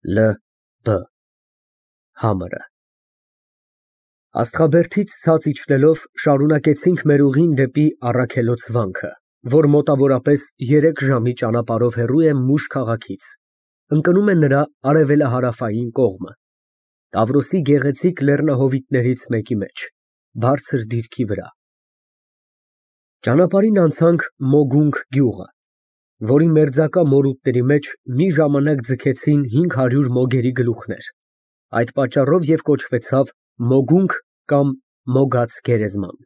L B Համրը Աստղաբերդից ցած իջնելով շարունակեցինք մեր ուղին դեպի Առաքելոց վանքը, որ մոտավորապես 3 ժամի ճանապարհով հեռու է Մուշ քաղաքից, ընկնում է նրա արևելահարավային կողմը, Տավրոսի գեղեցիկ լեռնահովիտներից մեկի մեջ, բարձր դիրքի վրա։ Ճանապարհին անցանք Մոգունգ գյուղը, որի մերձակա մորուտների մեջ մի ժամանակ ձգեցին 500 մոգերի գլուխներ, այդ պատճառով և կոչվեցավ Մոգունգ կամ Մոգած գերեզման։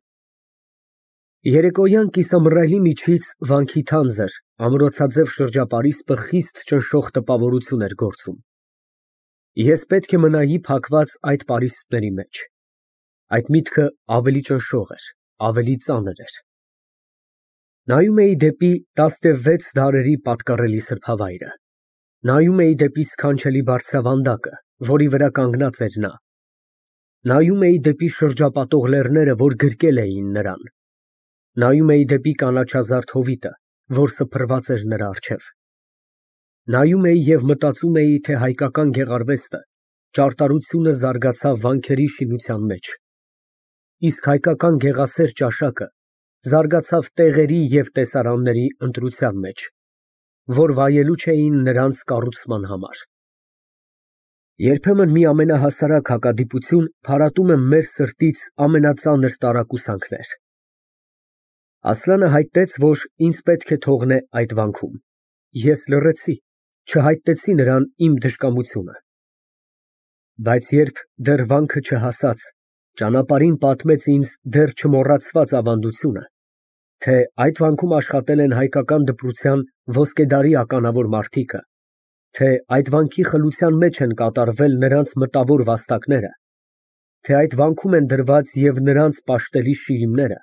Երեկոյան կիսամռայլի միջից վանքի թանձր, ամրոցաձև շրջապարիսպը խիստ ճնշող տպավորություն էր գործում։ Ես պետք է մնայի փակված այդ պարիսպների մեջ։ Այդ միտքը ավելի ճնշող էր, ավելի ծանր էր։ Նայում էի դեպի 16 դարերի պատկառելի սրբավայրը, նայում էի դեպի սքանչելի բարձրավանդակը, որի վրա կանգնած էր նա, նայում էի դեպի շրջապատող լեռները, որ գրկել էին նրան, նայում էի դեպի կանաչազարդ հովիտը, որ սփռված էր նրա առջև, նայում էի և մտածում էի, թե հայկական գեղարվեստը, ճարտարությունը զարգացավ վանքերի շինության մեջ, իսկ հայկական գեղասեր ճաշակը զարգացավ տեղերի և տեսարանների ընտրության մեջ, որ վայելու չէին նրանց կառուցման համար։ Երբեմն մի ամենահասարակ հակադիպություն փարատում է մեր սրտից ամենածանր տարակուսանքներ։ Ասլանը հայտնեց, որ ինձ պետք է թողնե այդ վանքում։ Ես լռեցի, չհայտնեցի նրան իմ դժկամությունը։ Բայց երբ դեռ վանքը չհասած, ճանապարհին պատմեց ինձ դեռ չմոռացված ավանդությունը, թե այդ վանքում աշխատել են հայկական դպրության ոսկեդարի ականավոր մարդիկը, թե այդ վանքի խլության մեջ են կատարվել նրանց մտավոր վաստակները, թե այդ վանքում են դրված և նրանց պաշտելի շիրիմները,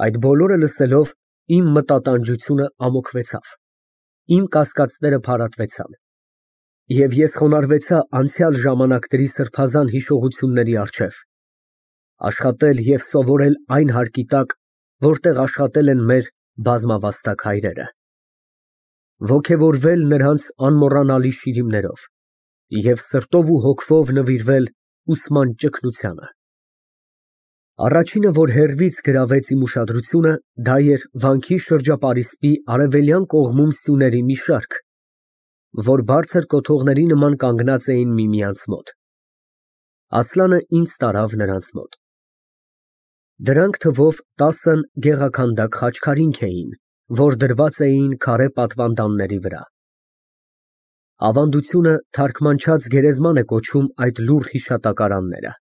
այդ բոլորը լսելով իմ մտատանջությունը ամոքվեցավ, իմ կասկածները փարատվեցան, և ես խոնարհվեցա անցյալ ժամանակների սրբազան հիշողությունների առջև, աշխատել և սովորել այն հարկի տակ, որտեղ աշխատել են մեր բազմավաստակ հայրերը, ոգևորվել նրանց անմոռանալի շիրիմներով և սրտով ու հոգվով նվիրվել ուսման ճգնությանը։ Առաջինը, որ հեռվից գրավեց իմ ուշադրությունը, դա էր վանքի շրջապարիսպի արևելյան կողմում սյուների մի շարք, որ բարձր կոթողների նման կանգնած էին միմյանց մոտ։ Ասլանը ինձ տարավ նրանց մոտ։ Դրանք թվով 10 գեղաքանդակ խաչքարինք էին, որ դրված էին քարե պատվանդանների վրա։ Ավանդությունը թարգմանչած գերեզման է կոչում այդ լուռ հիշատակարանները։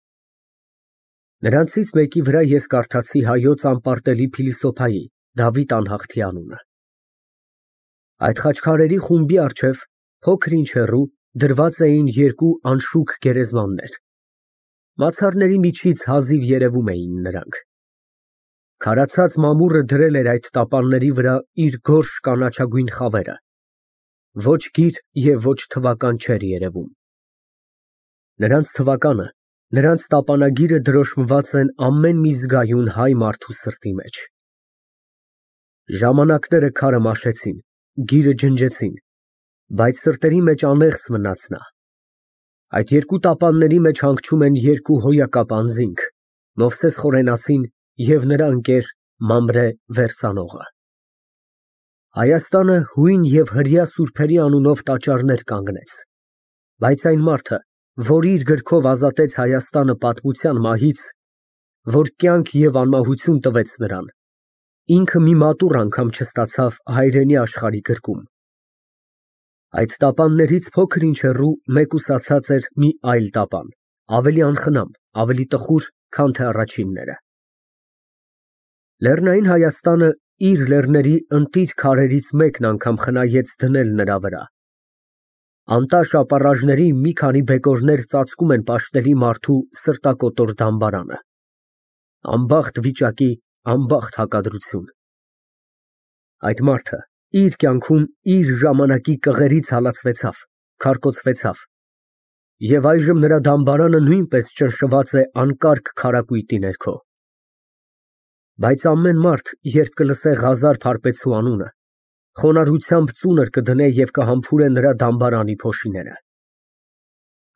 Նրանցից մեկի վրա ես կարդացի հայոց անպարտելի փիլիսոփայի Դավիթ Անհախտի անունը։ Այդ խաչքարերի խումբի առջև, փոքր-ինչ հեռու, դրված էին 2 անշուք գերեզմաններ։ Մացառների միջից հազիվ երևում էին նրանք։ Քարացած մամուռը դրել էր այդ տապանների վրա իր գորշ կանաչագույն խավերը, ոչ գիր և ոչ թվական չէր երևում։ Նրանց թվականը, նրանց տապանագիրը դրոշմված են ամեն մի զգայուն հայ մարդու սրտի մեջ։ Ժամանակները քարը մաշեցին, գիրը ջնջեցին, բայց սրտերի մեջ անեղծ մնաց նա։ Այդ 2 տապանների մեջ հանգչում են 2 հոյակապ անձինք՝ Մովսես Խորենացին և նրա ընկեր Մամրե Վերցանողը։ Հայաստանը հույն և հրեա սուրբերի անունով տաճարներ կանգնեց, բայց այն մարդը, որ իր գրքով ազատեց Հայաստանը պատմության մահից, որ կյանք և անմահություն տվեց նրան, ինքը մի մատուռ անգամ չստացավ հայրենի աշխարհի գրկում։ Այդ տապաններից փոքր-ինչ հեռու մեկուսացած էր մի այլ տապան, ավելի անխնամ, ավելի տխուր, քան թե առաջինները։ Լեռնային Հայաստանը իր լեռների ընտիր քարերից մեկն անգամ խնայեց դնել նրա վրա։ Անտաշ ապառաժների մի քանի բեկորներ ծածկում են պաշտելի մարդու սրտակոտոր դամբարանը։ Անբախտ վիճակի անբախտ հակադրություն։ Այդ մարդը իր կյանքում իր ժամանակի կղերից հալածվեցավ, քարկոծվեցավ, և այժմ նրա դամբարանը նույնպես ճնշված է անկարգ քարակույտի ներքո։ Բայց ամեն մարդ, երբ կլսե Ղազար Փարպեցու անունը, խոնարհությամբ ծունր կդնե և կհամբուրե նրա դամբարանի փոշիները։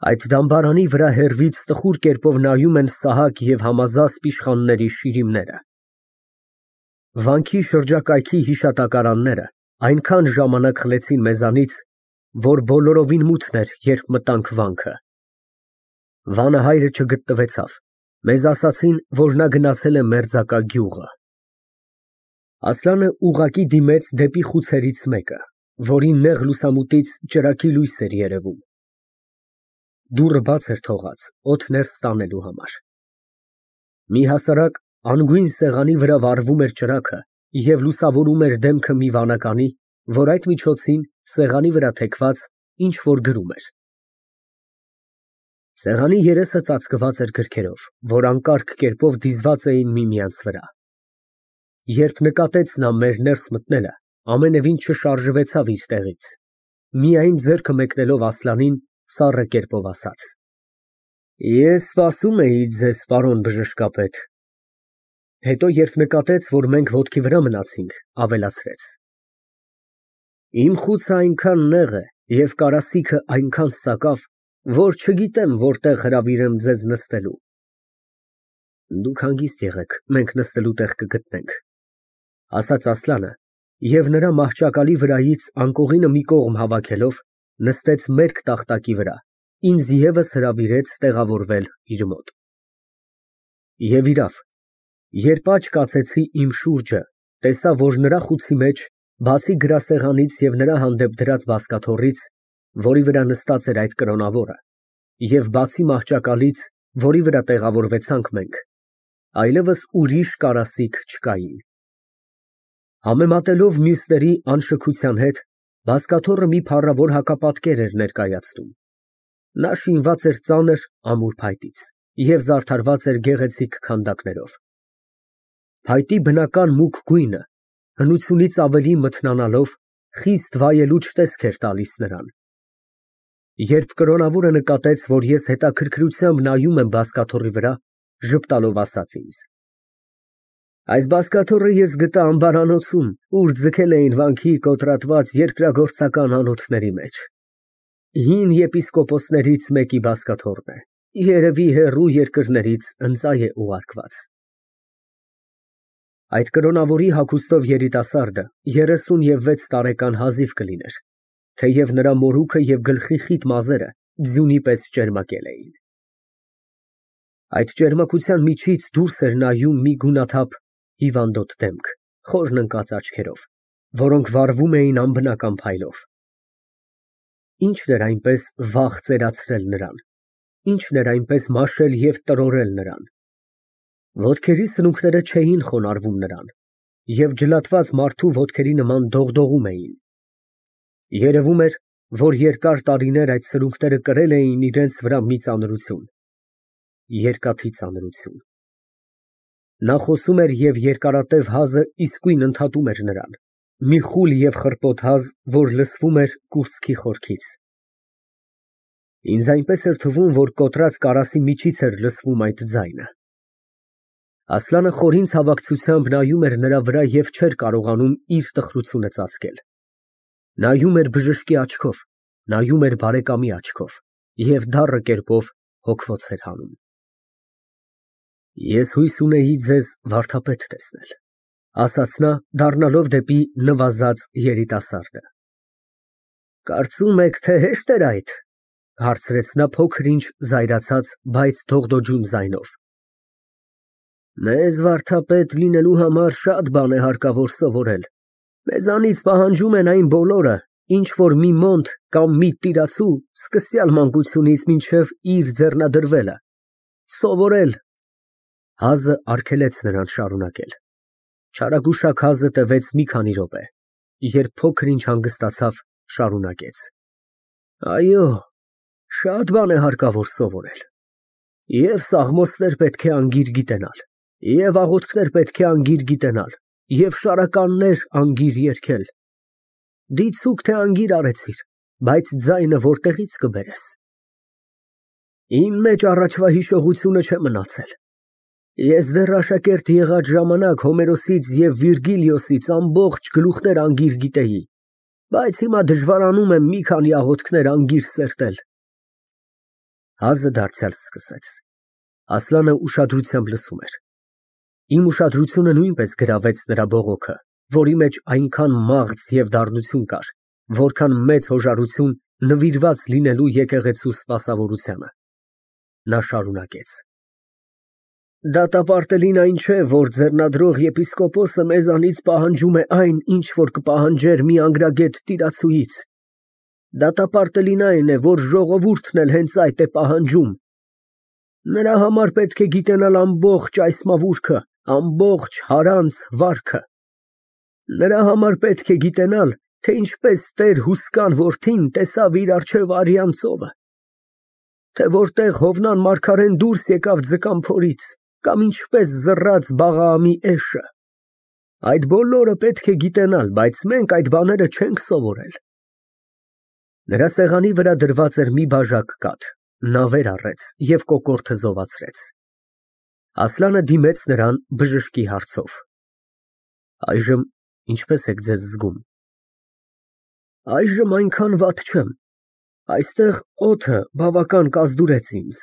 Այդ դամբարանի վրա հեռվից տխուր կերպով նայում են Սահակ և Համազասպ իշխանների շիրիմները։ Վանքի շրջակայքի հիշատակարանները այնքան ժամանակ խլեցին մեզանից, որ բոլորովին մութն էր, երբ մտանք վանքը։ Վանահայրը չգտնվեցավ, մեզ ասացին, որ նա գնացել է մերձակա գյուղը։ Ասլանը ուղղակի դիմեց դեպի խուցերից մեկը, որի նեղ լուսամուտից ճրագի լույս էր երևում։ Դուռը բաց էր թողած, օդ ներս տանելու համար։ Մի հասարակ անգույն սեղանի վրա վառվում էր ճրագը և լուսավորում էր դեմքը մի վանականի, որ այդ միջոցին սեղանի վրա թեքված ինչ֊որ գրում էր։ Սեղանի երեսը ծածկված էր գրքերով, որ անկարգ կերպով դիզված էին միմյանց վրա։ Երբ նկատեց նա մեր ներս մտնելը, ամենևին չշարժվեցավ իր տեղից, միայն ձեռքը մեկնելով Ասլանին, սառը կերպով ասաց. Ես սպասում էի ձեզ, պարոն բժշկապետ։ Հետո, երբ նկատեց, որ մենք ոտքի վրա մնացինք, ավելացրեց. Իմ խուցը այնքան նեղ է և կարասիքը այնքան սակավ, որ չգիտեմ որտեղ հրավիրեմ ձեզ նստելու։ Դուք հանգիստ եղեք, մենք նստելու տեղ կգտնենք, ասաց Ասլանը և նրա մահճակալի վրայից անկողինը մի կողմ հավաքելով, նստեց մերկ տախտակի վրա, ինձ ևս հրավիրեց տեղավորվել իր մոտ։ Եվ իրավ, երբ աչք կացեցի իմ շուրջը, տեսա, որ նրա խուցի մեջ, բացի գրասեղանից և նրա հանդեպ դրած բազկաթոռից, որի վրա նստած էր այդ կրոնավորը, և բացի մահճակալից, որի վրա տեղավորվեցանք մենք, այլևս ուրիշ կարասիք չկային։ Համեմատելով մյուսների անշքության հետ, բազկաթոռը մի փառավոր հակապատկեր էր ներկայացնում։ Նա շինված էր ծանր, ամուր փայտից և զարդարված էր գեղեցիկ քանդակներով։ Փայտի բնական մուգ գույնը, հնությունից ավելի մթնանալով, խիստ վայելուչ տեսք էր տալիս նրան։ Երբ կրոնավորը նկատեց, որ ես հետաքրքրությամբ նայում եմ բազկաթոռի վրա, ժպտալով ասաց ինձ. Այս բազկաթոռը ես գտա ամբարանոցում, ուր ձգել էին վանքի կոտրատված երկրագործական անոթների մեջ։ Հին եպիսկոպոսներից մեկի բազկաթոռն է, երևի հեռու երկրներից ընծայ է ուղարկված։ Այդ կրոնավորի հագուստով երիտասարդը 36 տարեկան հազիվ կլիներ, թեև նրա մորուքը և գլխի խիտ մազերը ձյունի պես ճերմակել էին։ Այդ ճերմակության միջից դուրս էր նայում մի գունաթափ հիվանդոտ դեմք, խորն ընկած աչքերով, որոնք վառվում էին անբնական փայլով։ Ի՞նչն էր այնպես վախ ծերացրել նրան, ի՞նչն էր այնպես մաշել և տրորել նրան։ Ոտքերի սնունքները չէին խոնարհվում նրան, և ջլատված մարդու ոտքերի նման դողդողում էին։ Երևում էր, որ երկար տարիներ այդ սրունքները կրել էին իրենց վրա մի ծանրություն, երկաթի ծանրություն։ Նա խոսում էր և երկարատև հազը իսկույն ընդհատում էր նրան, մի խուլ և խռպոտ հազ, որ լսվում էր կուրծքի խորքից։ Ինձ այնպես էր թվում, որ կոտրած կարասի միջից էր լսվում այդ ձայնը։ Ասլանը խորին ցավակցությամբ նայում էր նրա վրա և չէր կարողանում իր տխրությունը ծածկել։ Նայում էր բժշկի աչքով, նայում էր բարեկամի աչքով և դառը կերպով հոգվոց էր հանում։ Ես հույս ունեի ձեզ վարդապետ տեսնել, ասաց նա, դառնալով դեպի նվազած երիտասարդը։ Կարծում եք, թե հեշտ էր այդ, հարցրեց նա փոքր-ինչ զայրացած, բայց դողդոջուն ձայնով։ Մեզ վարդապետ լինելու համար շատ բան է հարկավոր սովորել։ Մեզանից պահանջում են այն բոլորը, ինչ որ մի մոնտ կամ մի տիրացու սկսյալ մանկությունից մինչև իր ձեռնադրվելը։ Սովորել։ Հազը արգելեց նրան շարունակել։ Չարագուշակ հազը տևեց մի քանի րոպե, երբ փոքր-ինչ հանգստացավ, շարունակեց. Այո, շատ բան է հարկավոր սովորել։ Եվ սաղմոսներ պետք է անգիր գիտենալ, և աղոթքներ պետք է անգիր գիտենալ, և շարականներ անգիր երգել։ Դիցուք թե անգիր արեցիր, բայց ձայնը որտեղից կբերես։ Իմ մեջ առաջվա հիշողությունը չէ մնացել։ Ես դեռ աշակերտ եղած ժամանակ Հոմերոսից և Վիրգիլիոսից ամբողջ գլուխներ անգիր գիտեի, բայց հիմա դժվարանում եմ մի քանի աղոթքներ անգիր սերտել։ Հազը դարձյալ սկսեց։ Ասլանը ուշադրությամբ լսում էր։ Իմ ուշադրությունը նույնպես գրավեց նրա բողոքը, որի մեջ այնքան մաղձ և դառնություն կար, որքան մեծ հոժարություն նվիրված լինելու եկեղեցու սպասավորությանը։ Նա շարունակեց. Դատապարտելին այն չէ, որ ձեռնադրող եպիսկոպոսը մեզանից պահանջում է այն, ինչ որ կպահանջեր մի անգրագետ տիրացուից։ Դատապարտելին այն է, որ ժողովուրդն էլ հենց այդ է պահանջում։ Նրա համար պետք է գիտենալ ամբողջ այս մավուրքը, ամբողջ հարանց վարքը։ Նրա համար պետք է գիտենալ, թե ինչպես Տեր Հուսկան որդին տեսավ իր առջև արյան ծովը, թե որտեղ Հովնան մարգարեն դուրս եկավ ձկան փորից, կամ ինչպես զռաց Բաղաամի էշը։ Այդ բոլորը պետք է գիտենալ, բայց մենք այդ բաները չենք սովորել։ Նրա սեղանի վրա դրված էր մի բաժակ կաթ, նա վեր առեց և կոկորդը զովացրեց։ Ասլանը դիմեց նրան բժշկի հարցով. Այժմ ինչպես եք ձեզ զգում։ Այժմ այնքան վատ չեմ, այստեղ օդը բավական կազդուրեց ինձ,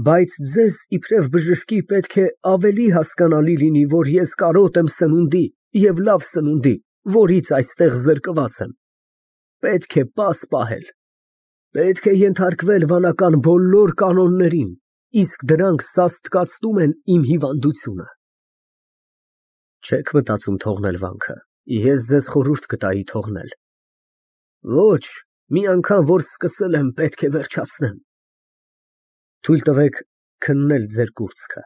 բայց ձեզ իբրև բժշկի պետք է ավելի հասկանալի լինի, որ ես կարոտ եմ սնունդի և լավ սնունդի, որից այստեղ զրկված եմ։ Պետք է պաս պահել, պետք է ենթարկվել վանական բոլոր կանոններին, իսկ դրանք սաստկացնում են իմ հիվանդությունը։ Չեք մտածում թողնել վանքը, ես ձեզ խորհուրդ կտայի թողնել։ Ոչ, մի անգամ որ սկսել եմ, պետք է վերջացնեմ։ Թույլ տվեք քննել ձեր կուրծքը։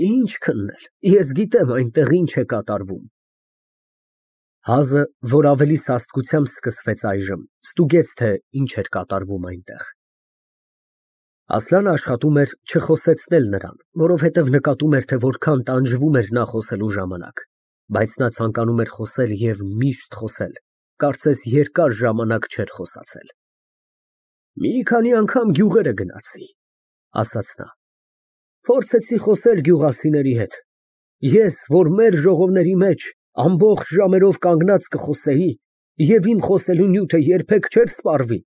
Ինչ քննել, ես գիտեմ այնտեղ ինչ է կատարվում։ Հազը, որ ավելի սաստկությամբ սկսվեց այժմ, ստուգեց, թե ինչ էր կատարվում այնտեղ։ Ասլանը աշխատում էր չխոսեցնել նրան, որովհետև նկատում էր, թե որքան տանջվում էր նա խոսելու ժամանակ, բայց նա ցանկանում էր խոսել և միշտ խոսել, կարծես երկար ժամանակ չէր խոսացել։ Մի քանի անգամ գյուղերը գնացի, ասաց նա։ Փորձեցի խոսել գյուղացիների հետ։ Ես, որ մեր ժողովների մեջ ամբողջ ժամերով կանգնած կխոսեի, և իմ խոսելու նյութը երբեք չէր սպառվի,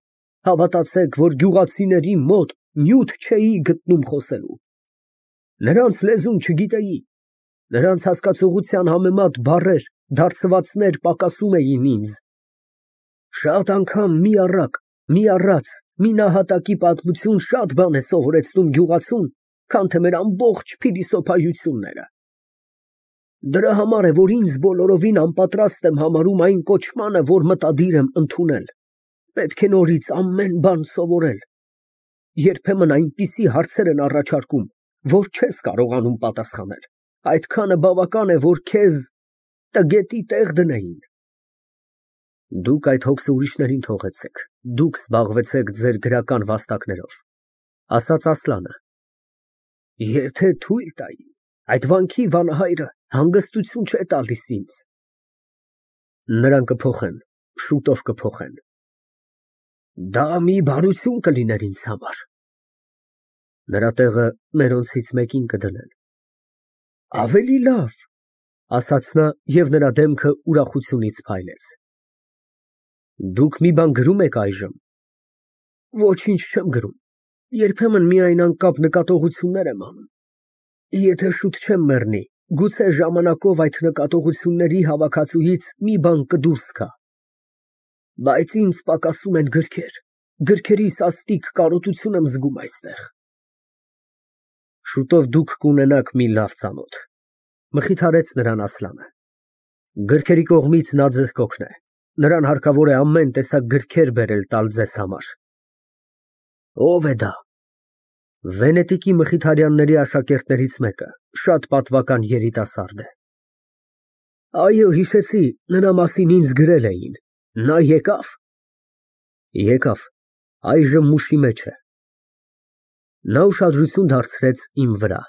հավատացեք, որ գյուղացիների մոտ նյութ չէի գտնում խոսելու։ Նրանց լեզուն չգիտեի, նրանց հասկացողության համեմատ բառեր, դարձվածներ պակասում էին ինձ։ Շատ անգամ մի առակ, մի առած, մի նահատակի պատմություն շատ բան է սովորեցնում գյուղացուն, քան թե մեր ամբողջ փիլիսոփայությունները։ Դրա համար է, որ ինձ բոլորովին անպատրաստ եմ համարում այն կոչմանը, որ մտադիր եմ ընդունել։ Պետք է նորից ամեն բան սովորել։ Երբեմն այնպիսի հարցեր են առաջարկում, որ չես կարողանում պատասխանել։ Այդքանը բավական է, որ քեզ տգետի տեղ դնեին։ Դուք այդ հոգսը ուրիշներին թողեցեք, դուք զբաղվեցեք ձեր գրական վաստակներով, ասաց Ասլանը։ Եթե թույլ տայի, այդ վանքի վանահայրը հանգստություն չէ տալիս ինձ։ Նրան կփոխեն, շուտով կփոխեն։ Դա մի բարություն կլիներ ինձ համար։ Նրա տեղը մերոնցից մեկին կդնեն։ Ավելի լավ, ասաց նա և նրա դեմքը ուրախությունից փայլեց։ Դուք մի բան գրում եք այժմ։ Ոչինչ չեմ գրում, երբեմն միայն անկապ նկատողություններ եմ անում։ Եթե շուտ չեմ մեռնի, գուցե ժամանակով այդ նկատողությունների հավաքածուից մի բան կդուրս գա։ Բայց ինձ պակասում են գրքեր, գրքերի սաստիկ կարոտություն եմ զգում այստեղ։ Շուտով դուք կունենաք մի լավ ծանոթ, մխիթարեց նրան Ասլանը։ Գրքերի կողմից նա ձեզ կօգնե, նրան հարկավոր է ամեն տեսակ գրքեր բերել տալ ձեզ համար։ Ո՞վ է դա։ Վենետիկի Մխիթարյանների աշակերտներից մեկը, շատ պատվական երիտասարդ է։ Այո, հիշեցի, նրա մասին ինձ գրել էին։ Նա եկավ։ Եկավ, այժմ մուշի մեջ է։ Նա ուշադրություն դարձրեց իմ վրա։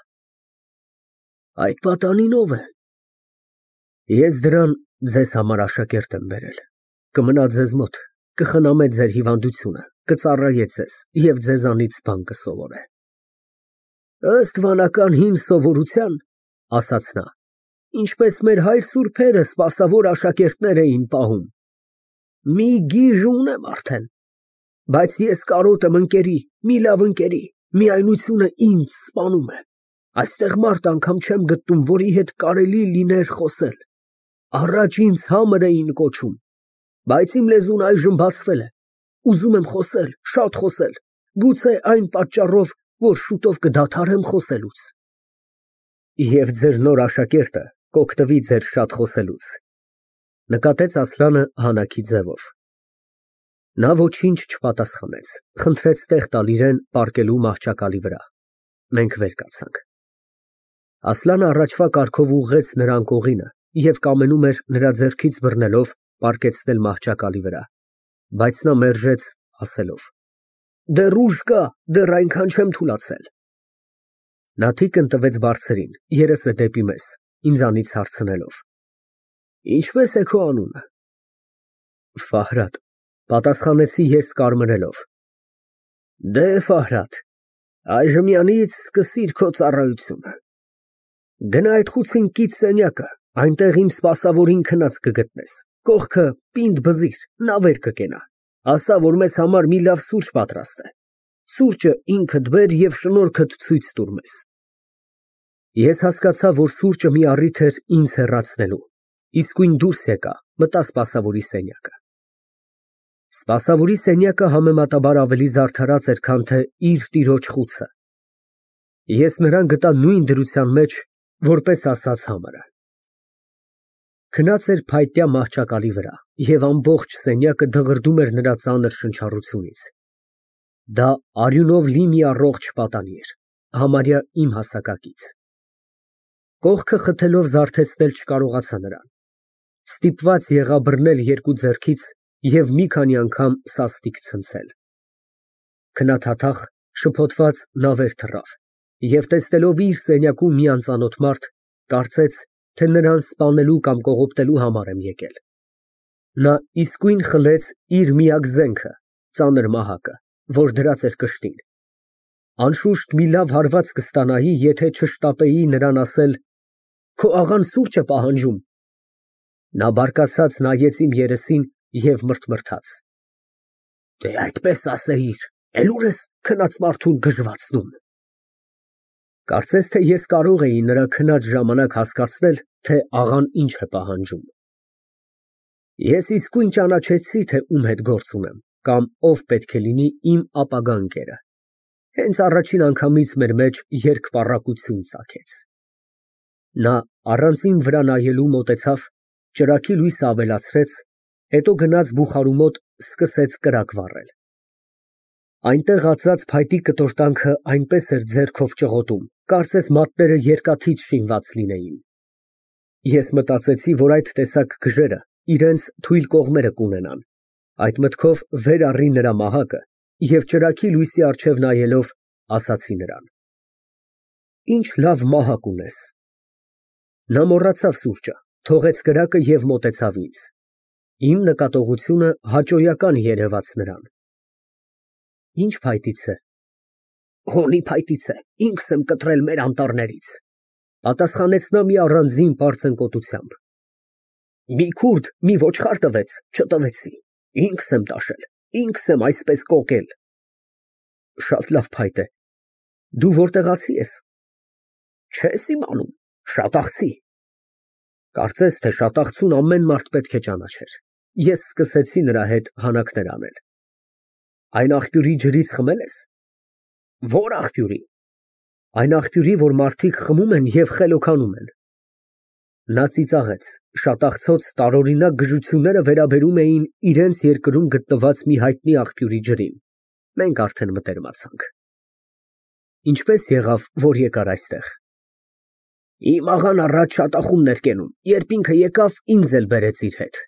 Այդ պատանին ով է։ Ես դրան ձեզ համար աշակերտ եմ բերել։ Կմնա ձեզ մոտ, կխնամե ձեր հիվանդությունը, կծառայե ձեզ և ձեզանից բան կսովորե։ Ըստ վանական հին սովորության, ասաց նա, ինչպես մեր հայր սուրբերը սպասավոր աշակերտներ էին պահում։ Մի գիժ ունեմ արդեն։ Բայց ես կարոտ եմ ընկերի, մի լավ ընկերի, միայնությունը ինձ սպանում է։ Այստեղ մարդ անգամ չեմ գտնում, որի հետ կարելի լիներ խոսել։ Առաջ ինձ Համր էին կոչում, բայց իմ լեզուն այժմ բացվել է։ Ուզում եմ խոսել, շատ խոսել, գուցե այն պատճառով, որ շուտով կդադարեմ խոսելուց։ Եվ ձեր նոր աշակերտը կօգտվի ձեր շատ խոսելուց, նկատեց Ասլանը հանակի ձևով։ Նա ոչինչ չպատասխանեց, խնդրեց տեղ տալ իրեն պառկելու մահճակալի վրա։ Մենք վեր կացանք։ Ասլանը առաջվա կարգով ուղղեց նրան կողինը և կամենում էր նրա ձեռքից բռնելով պառկեցնել մահճակալի վրա, բայց նա մերժեց, ասելով. Դեռ ուժ կա, դեռ այնքան չեմ թուլացել։ Նա թիկն տվեց բարձրին, երեսը դեպի մեզ, ինձանից հարցնելով. Ինչպե՞ս է քո անունը։ Ֆահրադ, պատասխանեցի ես կարմրելով։ Դե Ֆահրադ, այժմյանից սկսիր քո ծառայությունը։ Գնա այդ խուցին կից սենյակը, այնտեղ իմ սպասավորին քնած կգտնես, կողքը պինդ բզիր, նա վեր կկենա, ասա, որ մեզ համար մի լավ սուրճ պատրաստ է, սուրճը ինքդ բեր և շնորհքդ ցույց տուր մեզ։ Ես հասկացա, որ սուրճը մի առիթ էր ինձ հեռացնելու, իսկույն դուրս եկա, մտա սպասավորի սենյակը։ Սպասավորի սենյակը համեմատաբար ավելի զարդարած էր, քան թե իր տիրոջ խուցը։ Ես նրան գտա նույն դրության մեջ, որպես ասաց Համարը։ Քնած էր փայտյա մահճակալի վրա, և ամբողջ սենյակը դղրդում էր նրա ծանր շնչառությունից։ Դա արյունով լի մի առողջ պատանի էր, համարյա իմ հասակակից։ Կողքը խթելով զարթեցնել չկարողացա նրան։ Ստիպված եղա բռնել երկու ձեռքից և մի քանի անգամ սաստիկ ցնցել։ Քնաթաթախ, շփոթված նա վեր թռավ և տեսնելով իր սենյակում մի անծանոթ մարդ, կարծեց, թե նրան սպանելու կամ կողոպտելու համար եմ եկել։ Նա իսկույն խլեց իր միակ զենքը, ծանր մահակը, որ դրած էր կշտին։ Անշուշտ մի լավ հարված կստանայի, եթե չշտապեի նրան ասել. Քո աղան սուրճ է պահանջում։ Նա բարկացած նայեց իմ երեսին և մրթմրթաց. Դե այդպես ասեիր, էլ ուր ես քնած մարդուն գժվացնում։ Կարծես թե ես կարող էի նրա քնած ժամանակ հասկացնել, թե աղան ինչ է պահանջում։ Ես իսկույն ճանաչեցի, թե ում հետ գործ ունեմ, կամ ով պետք է լինի իմ ապագա ընկերը։ Հենց առաջին անգամից մեր մեջ երկպառակություն ծագեց։ Նա առանց իմ վրա նայելու մոտեցավ, ճրագի լույսը ավելացրեց, հետո գնաց բուխարու մոտ սկսեց կրակ վառել։ Այնտեղ ածած փայտի կտորտանքը այնպես էր ձեռքով ճղոտում, կարծես մատները երկաթից շինված լինեին։ Ես մտածեցի, որ այդ տեսակ գժերը իրենց թույլ կողմերը կունենան, այդ մտքով վեր առի նրա մահակը և ճրագի լույսի առջև նայելով ասացի նրան. Ինչ լավ մահակ ունես։ Նա մոռացավ սուրճը, թողեց կրակը և մոտեցավ ինձ։ Իմ նկատողությունը հաճոյական երևաց նրան։ Ինչ փայտից է։ Հոլի փայտից է, ինքս եմ կտրել մեր անտառներից, պատասխանեց նա մի առանձին պարծենկոտությամբ։ Մի քուրդ մի ոչխար տվեց, չտվեցի, ինքս եմ տաշել, ինքս եմ այսպես կոկել։ Շատ լավ փայտ է։ Դու որտեղացի ես։ Չես իմանում, Շատախցի։ Կարծես թե Շատախցուն ամեն մարդ պետք է ճանաչեր։ Ես սկսեցի նրա հետ հանակներ անել։ Այն աղբյուրի ջրից խմել ես։ Ո՞ր աղբյուրի։ Այն աղբյուրի, որ մարդիկ խմում են և խելոքանում են։ Նա ծիծաղեց, շատախցոց տարօրինակ գժությունները վերաբերում էին իրենց երկրում գտնված մի հայտնի աղբյուրի ջրին։ Մենք արդեն մտերմացանք։ Ինչպես եղավ, որ եկար այստեղ։ Իմ աղան առաջ շատախումն էր կենում, երբ ինքը եկավ, ինձ էլ բերեց իր հետ։